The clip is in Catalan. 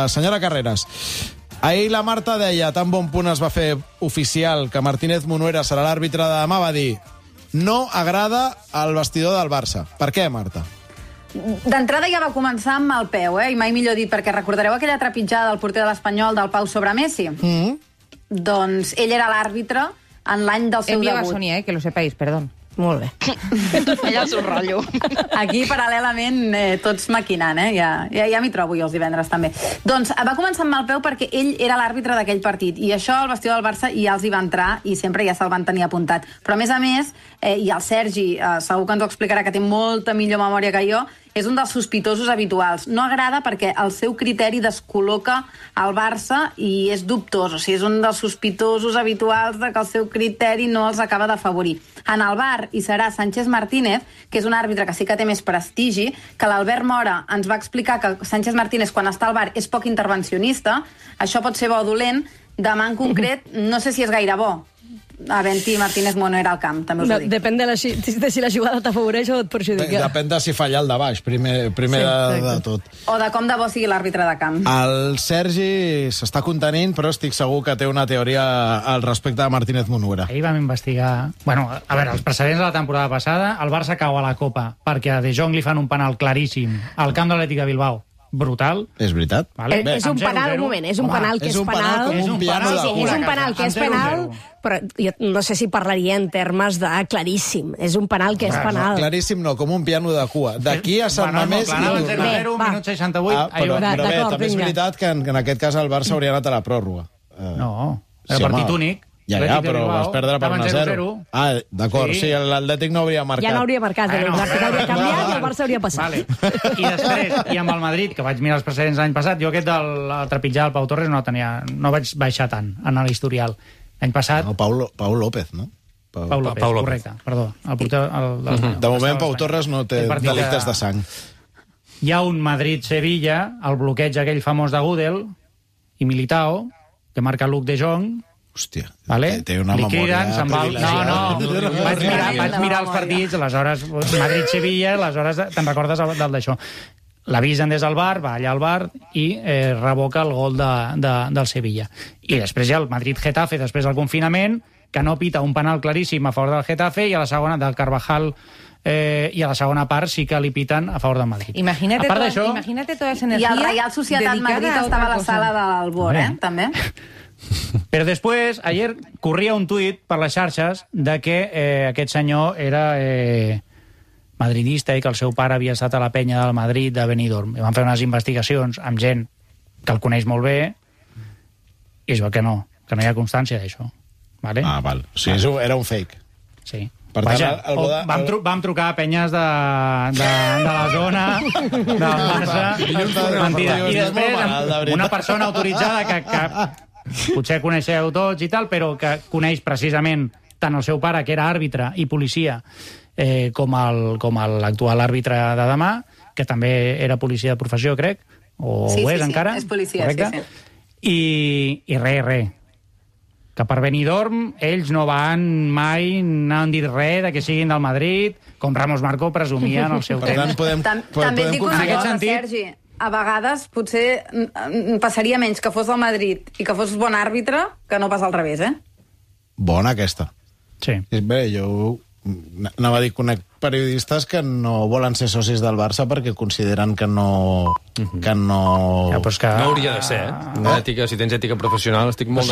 Senyora Carreras, ahir la Marta deia, tan bon punt es va fer oficial que Martínez Munuera serà l'àrbitre de demà, va dir no agrada al vestidor del Barça. Per què, Marta? D'entrada ja va començar amb el peu, i mai millor dit, perquè recordareu aquella trepitjada del porter de l'Espanyol del Pau sobre Messi? Doncs ell era l'àrbitre en l'any del seu Envia debut. a Sonia, que lo sepáis, perdón. Molt bé. Allà és un rotllo. Aquí, paral·lelament, tots maquinant, ja m'hi trobo jo els divendres, també. Doncs va començar amb el peu perquè ell era l'àrbitre d'aquell partit, i això al vestidor del Barça ja els hi va entrar, i sempre ja se'l van tenir apuntat. Però, a més, i el Sergi segur que ens ho explicarà, que té molta millor memòria que jo, és un dels sospitosos habituals. No agrada perquè el seu criteri descol·loca el Barça i és dubtós. O sigui, és un dels sospitosos habituals de que el seu criteri no els acaba d'afavorir. En el VAR hi serà Sánchez Martínez, que és un àrbitre que sí que té més prestigi, que l'Albert Mora ens va explicar que Sánchez Martínez, quan està al VAR, és poc intervencionista. Això pot ser bo o dolent. Demà, en concret, no sé si és gaire bo. Havent-hi Martínez Munuera al camp, també us ho dic. Depèn de si la jugada t'afavoreix o et perjudica. Depèn de si falla el de baix, primer de tot. O de com de bo sigui l'àrbitre de camp. El Sergi s'està contenint, però estic segur que té una teoria al respecte de Martínez Munuera. Ahir vam investigar... Bueno, a veure, els precedents de la temporada passada, el Barça cau a la Copa perquè a De Jong li fan un penal claríssim al camp de l'Atlètic de Bilbao. Brutal. És veritat. Vale. És un penal, un moment, és un penal que és penal. És un penal que és penal, però jo no sé si parlaria en termes de claríssim. És un penal que és penal. Claríssim no, com un piano de cua. D'aquí a Sant Mamés... Bueno, 0-0, minut 68... Però bé, també és veritat que en aquest cas el Barça hauria anat a la pròrroga. No, era partit únic. Ja, però vas perdre per 1-0. Ah, d'acord, sí, l'Atlètic no hauria marcat. Ja no hauria marcat, l'Atlètic hauria canviat i el Barça hauria passat. I després, i amb el Madrid, que vaig mirar els precedents l'any passat, jo aquest del trepitjar del Pau Torres no vaig baixar tant en l'historial. L'any passat... No, Pau López, no? Pau López, correcte, perdó. De moment, Pau Torres no té delictes de sang. Hi ha un Madrid-Sevilla, el bloqueig aquell famós de Gudel i Militao, que marca Luc de Jong. Hòstia, vale? té una memòria privilegiada. No, vaig mirar els partits, aleshores Madrid-Sevilla, aleshores te'n recordes del d'això. L'avisen des del VAR, va allà al VAR i revoca el gol del Sevilla. I després hi ha el Madrid-Getafe, després del confinament, que no pita un penal claríssim a favor del Getafe i a la segona del Carvajal i a la segona part sí que li piten a favor del Madrid. Imagínate toda esa energía. I el Real Societat Madrid estava a la sala del Bor, també. Però després, ayer corria un tuit per les xarxes de que aquest senyor era madridista i que el seu pare havia estat a la penya del Madrid de Benidorm. I van fer unes investigacions amb gent que el coneix molt bé i es veu que no hi ha constància d'això. Vale? Ah, val. O sigui, era un fake. Sí. Per tant, vam trucar a penyes de la zona, del Barça. Mentida. I després, una persona autoritzada que potser coneixeu tots i tal, però que coneix precisament tant el seu pare, que era àrbitre i policia, com l'actual àrbitre de demà, que també era policia de professió, crec, o ho és encara. Sí, és policia, sí. I res. Que per Benidorm ells no van mai, no han dit res de que siguin del Madrid, com Ramos Marcó presumia en el seu temps. També et dic una cosa, Sergi. A vegades potser passaria menys que fos del Madrid i que fos bon àrbitre que no pas al revés, Bona aquesta. Sí. Bé, jo anava a dir, conec periodistes que no volen ser socis del Barça perquè consideren que no... No hauria de ser, Si tens ètica professional, estic molt